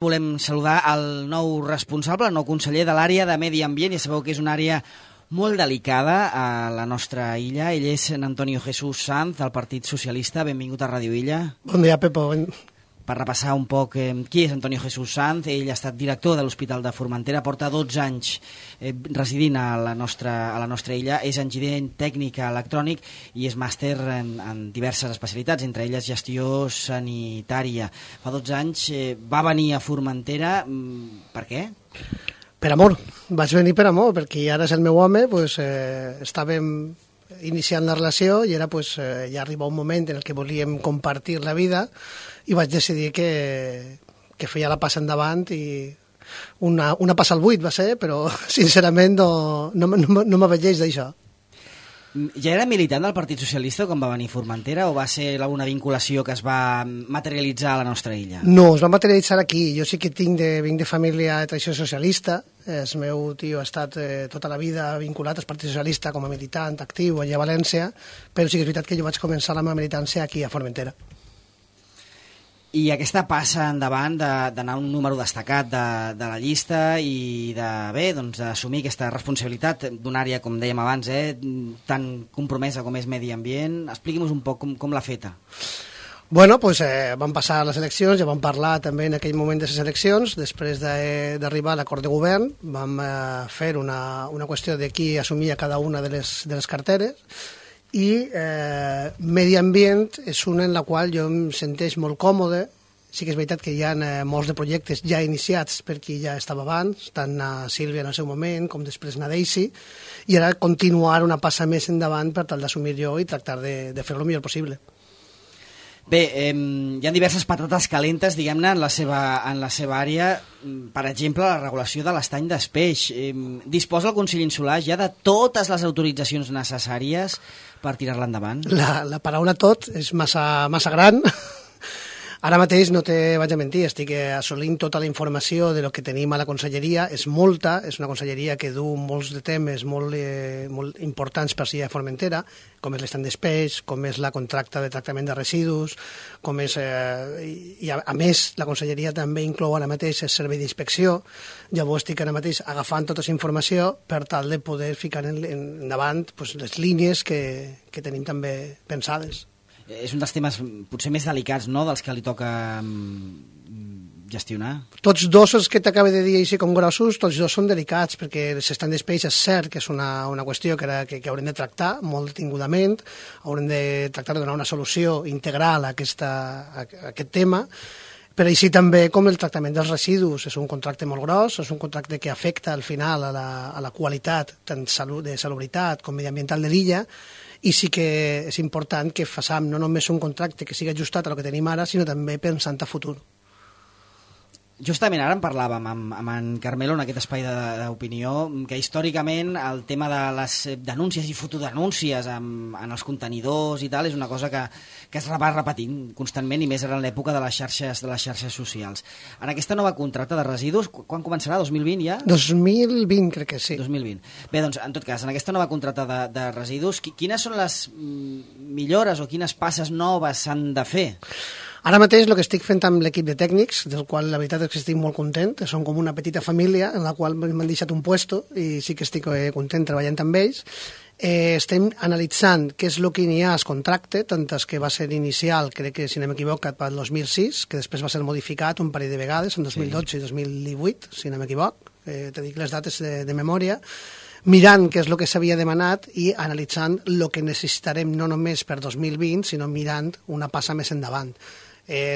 Volem saludar el nou responsable, el nou conseller de l'àrea de Medi Ambient. Ja sabeu que és una àrea molt delicada a la nostra illa. Ell és Antonio Jesús Sanz, del Partit Socialista. Benvingut a Ràdio Illa. Bon dia, Pepo. Per repassar un poc qui és Antonio Jesús Sanz, ell ha estat director de l'Hospital de Formentera, porta 12 anys residint a la nostra illa, és enginyer tècnic electrònic i és màster en diverses especialitats, entre elles gestió sanitària. Fa 12 anys va venir a Formentera, per què? Per amor, vaig venir per amor, perquè ara és el meu home, estàvem iniciant la relació i era ja arriba un moment en el que volíem compartir la vida i vaig decidir que feia la passa endavant i una passa al buit va ser, però sincerament no m'avelleix d'això. Ja era militant del Partit Socialista quan va venir a Formentera o va ser una vinculació que es va materialitzar a la nostra illa? No, es va materialitzar aquí. Jo sí que vinc de família de tradició socialista. El meu tio ha estat tota la vida vinculat al Partit Socialista com a militant actiu allà a València, però sí que és veritat que jo vaig començar la meva militància aquí a Formentera. I aquesta passa endavant d'anar un número destacat de la llista i d'assumir aquesta responsabilitat d'una àrea, com dèiem abans, tan compromesa com és Medi Ambient. Expliqui'm un poc com l'ha feta. Bueno, van passar les eleccions, ja vam parlar també en aquell moment de les eleccions, després d'arribar a l'acord de govern, vam fer una qüestió de qui assumia cada una de les carteres, i Medi Ambient és una en la qual jo em senteix molt còmode. Sí que és veritat que hi ha molts de projectes ja iniciats per qui ja estava abans, tant a Sílvia en el seu moment com després a Daisy, i ara continuar una passa més endavant per tal d'assumir jo i tractar de fer-ho el millor possible. Bé, hi ha diverses patates calentes, diguem-ne, en la seva àrea. Per exemple, la regulació de l'estany d'Espeix. Disposa el Consell Insular ja de totes les autoritzacions necessàries per tirar-la endavant? La paraula tot és massa gran. Ara mateix no te vaig a mentir, estic assolint tota la informació de lo que tenim a la conselleria, és molta, és una conselleria que du molts de temes molt importants per si a Formentera, com és l'estany d'Espeix, com és la contracta de tractament de residus, com és, i a més la conselleria també inclou ara mateix el servei d'inspecció. Llavors estic ara mateix agafant tota aquesta informació per tal de poder ficar endavant les línies que tenim també pensades. És un dels temes potser més delicats, no?, dels que li toca gestionar. Tots dos els que t'acabo de dir així com grossos, tots dos són delicats, perquè l'estany d'Espeix és cert que és una qüestió que haurem de tractar molt detingudament, haurem de tractar de donar una solució integral a aquest tema, però així també com el tractament dels residus. És un contracte molt gros, és un contracte que afecta al final a la qualitat tant de salubritat com mediambiental de l'illa, i sí que és important que façam no només un contracte que sigui ajustat a el que tenim ara, sinó també pensant a futur. Justament ara en parlàvem amb en Carmelo en aquest espai d'opinió, que històricament el tema de les denúncies i fotodenúncies en els contenidors i tal és una cosa que es va repetint constantment, i més ara en l'època de les xarxes socials. En aquesta nova contracta de residus, quan començarà? 2020 ja? 2020 crec que sí. 2020. Bé, doncs, en tot cas, en aquesta nova contracta de residus, quines són les millores o quines passes noves s'han de fer? Ara mateix el que estic fent amb l'equip de tècnics, del qual la veritat és que estic molt content, són com una petita família en la qual m'han deixat un puesto i sí que estic content treballant amb ells. Estem analitzant què és el que hi ha al contracte, tant que va ser inicial, crec que si no m'equivoco, pel 2006, que després va ser modificat un parell de vegades, en 2012 i 2018, si no m'equivoc, te dic les dates de memòria, mirant què és el que s'havia demanat i analitzant el que necessitarem no només per 2020, sinó mirant una passa més endavant.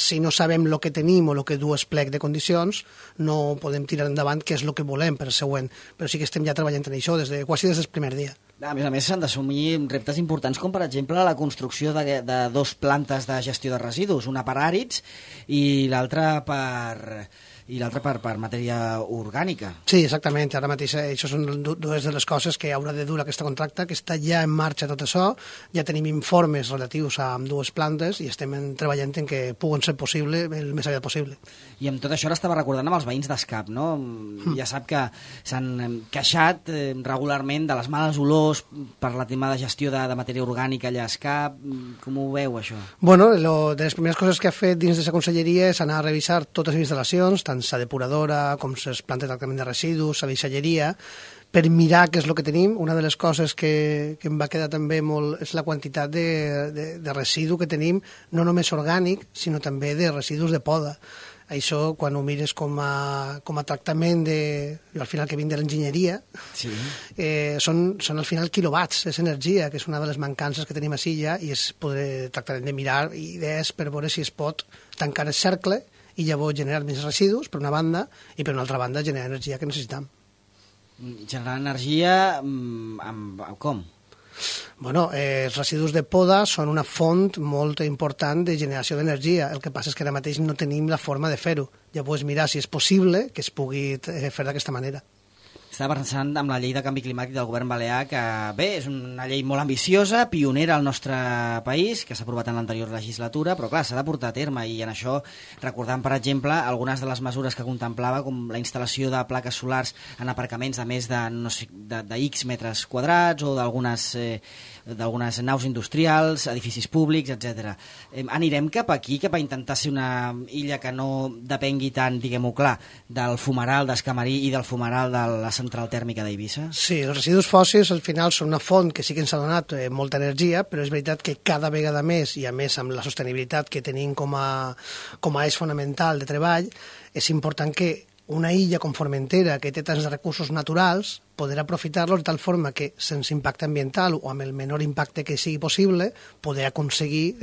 Si no sabem el que tenim o el que du el plec de condicions, no podem tirar endavant què és el que volem per el següent, però sí que estem ja treballant en això quasi des del primer dia. A més, s'han d'assumir reptes importants com, per exemple, la construcció de 2 plantes de gestió de residus, una per àrids i l'altra per matèria orgànica. Sí, exactament. Ara mateix això són dues de les coses que haurà de dur aquesta contracta, que està ja en marxa tot això. Ja tenim informes relatius a dues plantes i estem treballant en que puguen ser possible el més aviat possible. I amb tot això ara estava recordant amb els veïns d'Escap, no? Ja sap que s'han queixat regularment de les males olors olors, per la tema de gestió de matèria orgànica allà a Escap, com ho veu això? Bueno, de les primeres coses que ha fet dins de la conselleria és anar a revisar totes les instal·lacions, tant la depuradora com les plantes de tractament de residus, la deixalleria, per mirar què és el que tenim. Una de les coses que em va quedar també molt és la quantitat de residu que tenim, no només orgànic, sinó també de residus de poda. Això, quan ho mires com a tractament jo al final que vinc de l'enginyeria, sí. Són al final quilowatts, és energia, que és una de les mancances que tenim a Silla, i és poder tractar de mirar idees per veure si es pot tancar el cercle i llavors generar més residus, per una banda, i per una altra banda generar energia que necessitem. Generar energia com? Bueno, els residus de poda són una font molt important de generació d'energia. El que passa és que ara mateix no tenim la forma de fer-ho. Llavors mirar si és possible que es pugui fer d'aquesta manera. Estava pensant amb la llei de canvi climàtic del govern balear, que bé, és una llei molt ambiciosa, pionera al nostre país, que s'ha aprovat en l'anterior legislatura, però clar, s'ha de portar a terme, i en això recordant, per exemple, algunes de les mesures que contemplava, com la instal·lació de plaques solars en aparcaments de més de X metres quadrats, o d'algunes naus industrials, edificis públics, etc. Anirem cap aquí, cap a intentar ser una illa que no depengui tant, diguem-ho clar, del fumeral d'Escamarí i del fumeral de la central tèrmica d'Eivissa? Sí, els residus fòssils al final són una font que sí que ens ha donat molta energia, però és veritat que cada vegada més, i a més amb la sostenibilitat que tenim com a eix fonamental de treball, és important que una illa com Formentera, que té tants recursos naturals, poder aprofitar-los de tal forma que, sense impacte ambiental o amb el menor impacte que sigui possible, poder aconseguir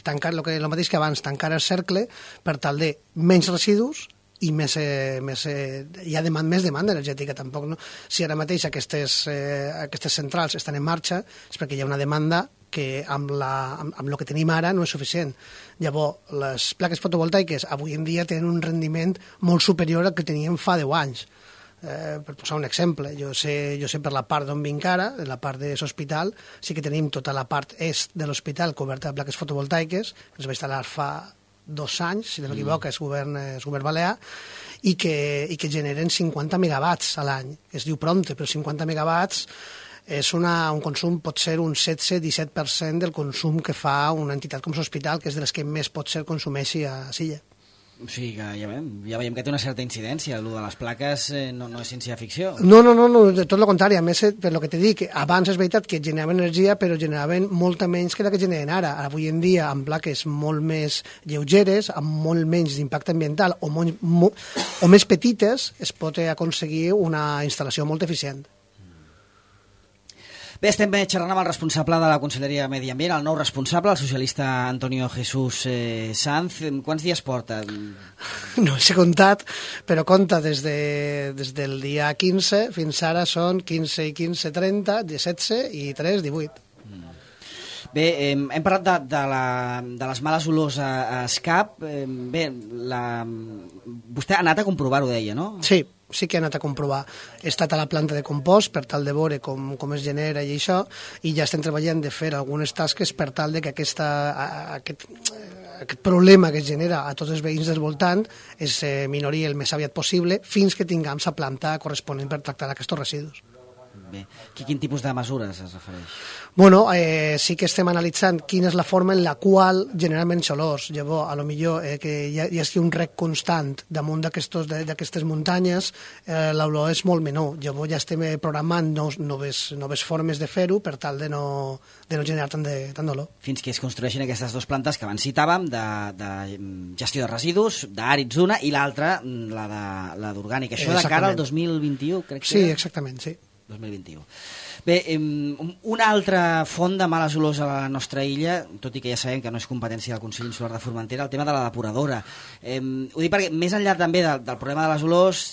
tancar el mateix que abans, tancar el cercle per tal de menys residus i més hi ha més demanda energètica. Tampoc, no? Si ara mateix aquestes centrals estan en marxa és perquè hi ha una demanda que amb el que tenim ara no és suficient. Llavors, les plaques fotovoltaiques avui en dia tenen un rendiment molt superior al que teníem fa 10 anys. Per posar un exemple, jo sé per la part d'on vinc ara, la part de l'hospital, sí que tenim tota la part est de l'hospital coberta de plaques fotovoltaiques, que es va instal·lar fa 2 anys, si no m'equivoco, és govern balear, i que generen 50 megawatts a l'any. Es diu prompte, però 50 megawatts és un consum, pot ser un 16-17% del consum que fa una entitat com l'hospital, que és de les que més pot ser consumeixi a Silla. O sigui que ja veiem que té una certa incidència. El de les plaques no és ciència-ficció. No, tot el contrari. A més, per el que t'he dit, abans és veritat que generaven energia, però generaven molta menys que la que generen ara. Avui en dia, amb plaques molt més lleugeres, amb molt menys d'impacte ambiental o més petites, es pot aconseguir una instal·lació molt eficient. Bé, estem xerrant amb el responsable de la Conselleria de Medi Ambient, el nou responsable, el socialista Antonio Jesús Sanz. Quants dies porta? No els he comptat, però compta des del dia 15 fins ara són 15 i 15, 30, 17 i 3, 18. Bé, hem parlat de les males olors a Escap. Bé, vostè ha anat a comprovar-ho, deia, no? Sí que he anat a comprovar. He estat a la planta de compost per tal de veure com es genera i això, i ja estem treballant de fer algunes tasques per tal de que aquest problema que es genera a tots els veïns del voltant es minori el més aviat possible fins que tinguem la planta corresponent per tractar aquests residus. Bé, quin tipus de mesures es refereix? Bueno, sí que estem analitzant quina és la forma en la qual generar menys olors. Llavors, a lo millor que hi hagi un rec constant damunt d'aquestes muntanyes, l'olor és molt menor. Llavors ja estem programant noves formes de fer-ho per tal de no generar tant d'olor. Fins que es construeixin aquestes dues plantes que abans citàvem, de gestió de residus, d'àrids d'una, i l'altra, la d'orgànica. Això de cara al 2021, crec que sí, exactament, sí. 2021. Bé, una altra font de males olors a la nostra illa, tot i que ja sabem que no és competència del Consell Insular de Formentera, el tema de la depuradora. Ho dic perquè més enllà també del problema de les olors,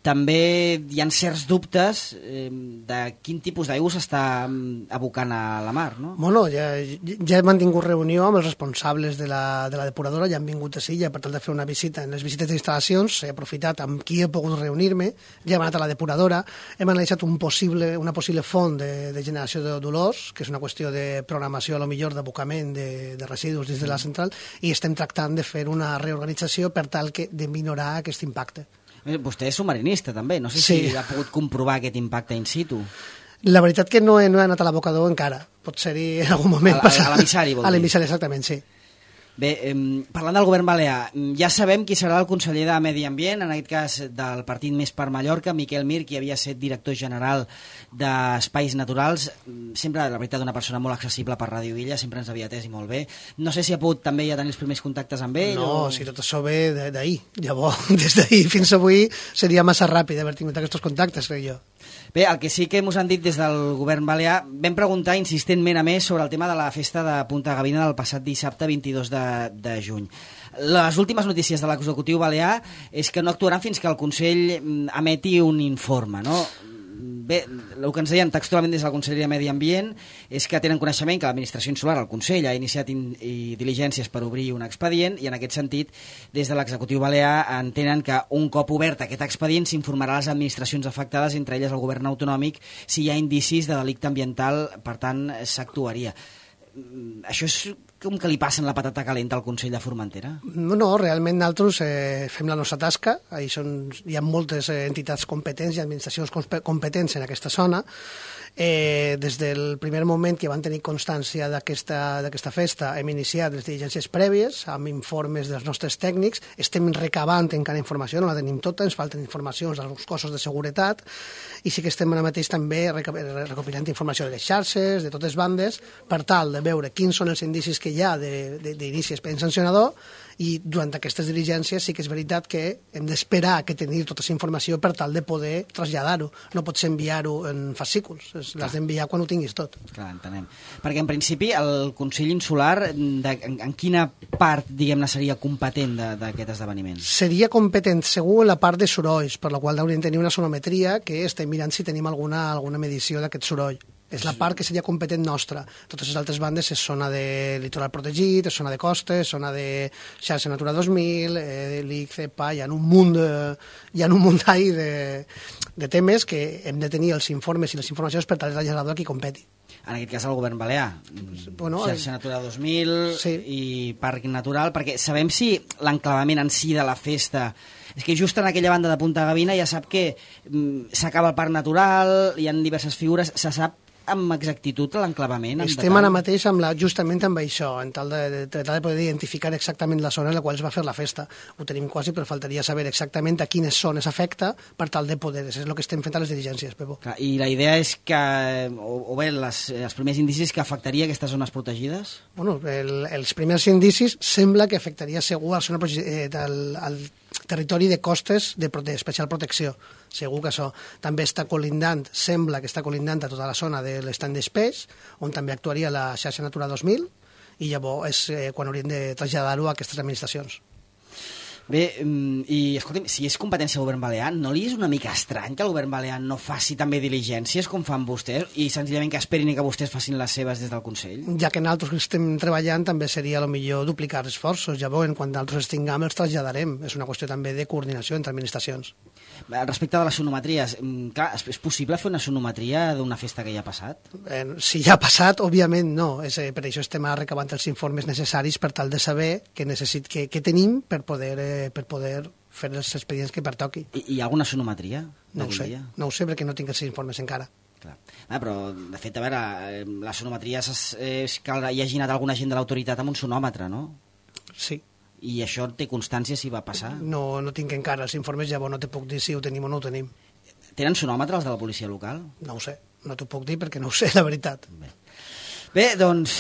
també hi ha certs dubtes de quin tipus d'aigua s'està abocant a la mar, no? Bueno, ja he mantingut reunió amb els responsables de la depuradora, ja han vingut a Silla per tal de fer una visita. En les visites d'instal·lacions he aprofitat amb qui he pogut reunir-me, ja hem anat a la depuradora, hem analitzat una possible font de generació d'olors, que és una qüestió de programació, a lo millor d'abocament de residus dins de la central, i estem tractant de fer una reorganització per tal de minorar aquest impacte. Vostè és submarinista, també. No sé si ha pogut comprovar aquest impacte in situ. La veritat que no he anat a l'abocador encara. Pot ser-hi en algun moment. A l'emissari, vol dir. A l'emissari, exactament, sí. Bé, parlant del govern balear, ja sabem qui serà el conseller de Medi Ambient, en aquest cas del Partit Més per Mallorca, Miquel Mir, qui havia estat director general d'Espais Naturals, sempre, la veritat, una persona molt accessible per Ràdio Illa, sempre ens havia atès i molt bé. No sé si ha pogut també ja tenir els primers contactes amb ell. No, si tot això ve d'ahir. Llavors, des d'ahir fins avui seria massa ràpid haver tingut aquests contactes, crec jo. Bé, el que sí que ens han dit des del govern balear, vam preguntar insistentment a més sobre el tema de la festa de Punta Gavina del passat dissabte 22 de juny. Les últimes notícies de l'executiu balear és que no actuaran fins que el Consell emeti un informe, no? Bé, el que ens deien textualment des de la Conselleria de Medi Ambient és que tenen coneixement que l'administració insular, el Consell, ha iniciat diligències per obrir un expedient i en aquest sentit, des de l'executiu balear entenen que un cop obert aquest expedient s'informarà a les administracions afectades, entre elles el govern autonòmic, si hi ha indicis de delicte ambiental, per tant s'actuaria. Això és com que li passen la patata calenta al Consell de Formentera? No, realment nosaltres fem la nostra tasca. Hi ha moltes entitats competents i administracions competents en aquesta zona. Des del primer moment que van tenir constància d'aquesta festa hem iniciat les diligències prèvies amb informes dels nostres tècnics, estem recabant encara informació, no la tenim tota, ens falten informacions dels cossos de seguretat i sí que estem ara mateix també recopilant informació de les xarxes, de totes bandes, per tal de veure quins són els indicis que hi ha d'inici expedient sancionador i durant aquestes diligències sí que és veritat que hem d'esperar que tenir tota aquesta informació per tal de poder traslladar-ho. No pots enviar-ho en fascículs, l'has d'enviar quan ho tinguis tot. Clar, entenem. Perquè en principi el Consell Insular en quina part, diguem-ne, seria competent d'aquest esdeveniment? Seria competent segur en la part de sorolls, per la qual hauríem de tenir una sonometria que estem mirant si tenim alguna medició d'aquest soroll. És la part que seria competent nostra. Totes les altres bandes és zona de litoral protegit, és zona de costes, és zona de xarxa Natura 2000, l'IC, CEPA, hi ha un munt de temes que hem de tenir els informes i les informacions per tal de traslladar a qui competi. En aquest cas el govern balear, xarxa Natura 2000 sí. I Parc Natural, perquè sabem si l'enclavament en si de la festa... És que just en aquella banda de Punta Gavina ja sap que s'acaba el Parc Natural, hi ha diverses figures, se sap amb exactitud l'enclavament? Estem ara mateix justament amb això, en tal de poder identificar exactament la zona en la qual es va fer la festa. Ho tenim quasi, però faltaria saber exactament a quines zones afecta per tal de poder... És el que estem fent a les diligències, Pepo. Clar, i la idea és que, o bé, els primers indicis que afectaria aquestes zones protegides? Bueno, els primers indicis sembla que afectaria segur al territori de costes d'especial protecció. Segur que això també està colindant, sembla que està colindant a tota la zona de l'estany d'Espeix, on també actuaria la xarxa Natura 2000, i llavors és quan hauríem de traslladar-ho a aquestes administracions. Bé, i escolti'm, si és competència del govern balear, no li és una mica estrany que el govern balear no faci també diligències com fan vostès i senzillament que esperin que vostès facin les seves des del Consell? Ja que nosaltres estem treballant també seria millor duplicar esforços, llavors quan nosaltres els tinguem els traslladarem, és una qüestió també de coordinació entre administracions. Respecte de les sonometries, clar, és possible fer una sonometria d'una festa que ja ha passat? Si ja ha passat, òbviament no. Per això estem recabant els informes necessaris per tal de saber què tenim per poder fer els expedients que pertoqui. Hi ha alguna sonometria? No ho sé perquè no tinc els informes encara. Clar. Però, de fet, a veure, la sonometria és que hi hagi anat alguna gent de l'autoritat amb un sonòmetre, no? Sí. I això té constància si va passar? No tinc encara els informes, llavors no te puc dir si ho tenim o no ho tenim. Tenen sonòmetre els de la policia local? No ho sé, no t'ho puc dir perquè no ho sé, la veritat. Bé, doncs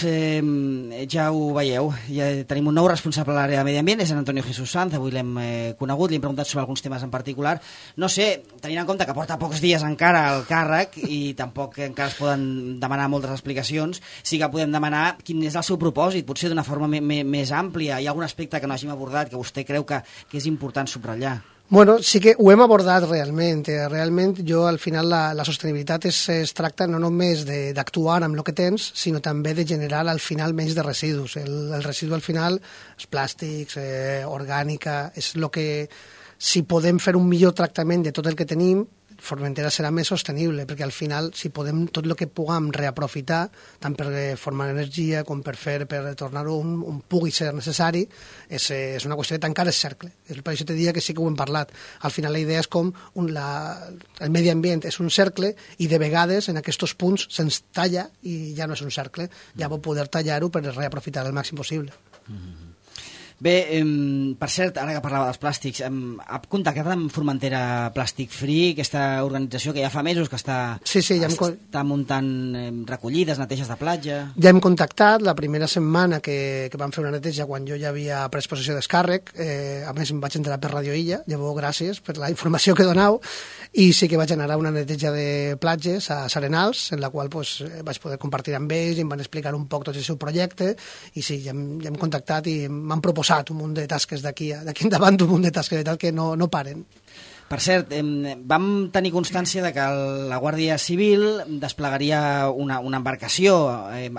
ja ho veieu, ja tenim un nou responsable a l'àrea de Medi Ambient, és en Antonio Jesús Sanz, avui l'hem conegut, li hem preguntat sobre alguns temes en particular. No sé, tenint en compte que porta pocs dies encara al càrrec i tampoc encara es poden demanar moltes explicacions, sí que podem demanar quin és el seu propòsit, potser d'una forma més àmplia. Hi ha algun aspecte que no hàgim abordat que vostè creu que és important subratllar? Bueno, sí que ho hem abordat realment. Realment, al final, la sostenibilitat es tracta no només d'actuar amb el que tens, sinó també de generar al final menys de residus. El residu al final, els plàstics, orgànica, és el que, si podem fer un millor tractament de tot el que tenim, Formentera serà més sostenible, perquè al final, si podem, tot el que puguem reaprofitar, tant per formar energia com per tornar-ho un pugui ser necessari, és una qüestió de tancar el cercle. Per això te diria que sí que ho hem parlat. Al final la idea és com el medi ambient és un cercle i de vegades en aquests punts se'ns talla i ja no és un cercle, ja pot poder tallar-ho per reaprofitar el màxim possible. Bé, per cert, ara que parlava dels plàstics, ha contactat amb Formentera Plastic Free, aquesta organització que ja fa mesos que està muntant recollides, neteges de platja? Ja hem contactat la primera setmana que vam fer una neteja quan jo ja havia pres possessió descàrrec, a més em vaig enterar per Radio Illa, llavors gràcies per la informació que donau, i sí que vaig anar a una neteja de platges a Sarenals, en la qual vaig poder compartir amb ells i em van explicar un poc tot el seu projecte, i sí, ja hem contactat i m'han proposat un munt de tasques d'aquí endavant, un munt de tasques que no paren. Per cert, vam tenir constància de que la Guàrdia Civil desplegaria una embarcació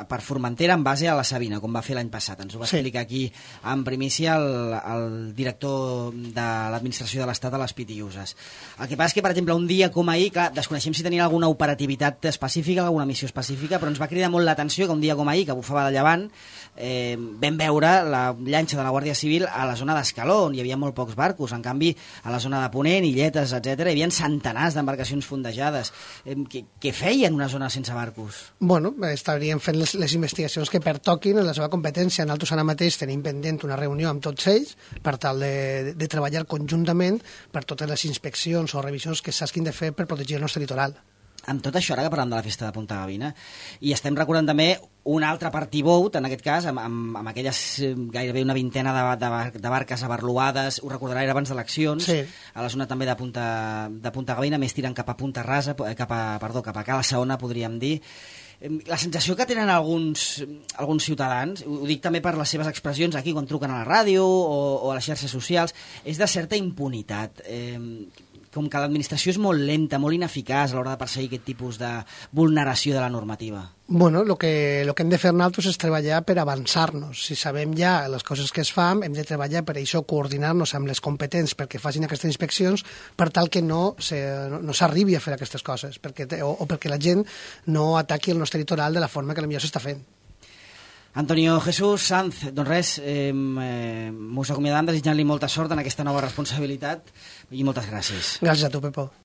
per Formentera en base a la Sabina, com va fer l'any passat. Ens ho va explicar aquí en primícia el director de l'administració de l'Estat a les Pitiüses. El que passa és que, per exemple, un dia com ahir, clar, desconeixem si tenien alguna operativitat específica, alguna missió específica, però ens va cridar molt l'atenció que un dia com ahir, que bufava de llevant, vam veure la llanxa de la Guàrdia Civil a la zona d'Escaló, on hi havia molt pocs barcos. En canvi, a la zona de Ponent, Illetes, etc., hi havia centenars d'embarcacions fondejades. Què feien una zona sense barcos? Bueno, estaríem fent les investigacions que pertoquin en la seva competència. Nosaltres ara mateix tenim pendent una reunió amb tots ells per tal de treballar conjuntament per totes les inspeccions o revisions que s'hagin de fer per protegir el nostre litoral. Amb tot això, ara que parlem de la festa de Punta Gavina, i estem recordant també un altre party boat, en aquest cas, amb aquelles gairebé una vintena de barques abarluades, ho recordarà, era abans d'eleccions, sí, a la zona també de Punta Gavina, més tirant cap a Punta Rasa, cap a Cala Saona, podríem dir. La sensació que tenen alguns ciutadans, ho dic també per les seves expressions aquí quan truquen a la ràdio o a les xarxes socials, és de certa impunitat. Com que l'administració és molt lenta, molt ineficaç a l'hora de perseguir aquest tipus de vulneració de la normativa. Bueno, lo que hem de fer nosaltres és treballar per avançar-nos. Si sabem ja les coses que es fan, hem de treballar per això, coordinar-nos amb les competents perquè facin aquestes inspeccions per tal que no s'arribi a fer aquestes coses o perquè la gent no ataqui el nostre litoral de la forma que potser s'està fent. Antonio Jesús Sanz, doncs res, mos acomiadam desitjant-li molta sort en aquesta nova responsabilitat i moltes gràcies. Gràcies a tu, Pepo.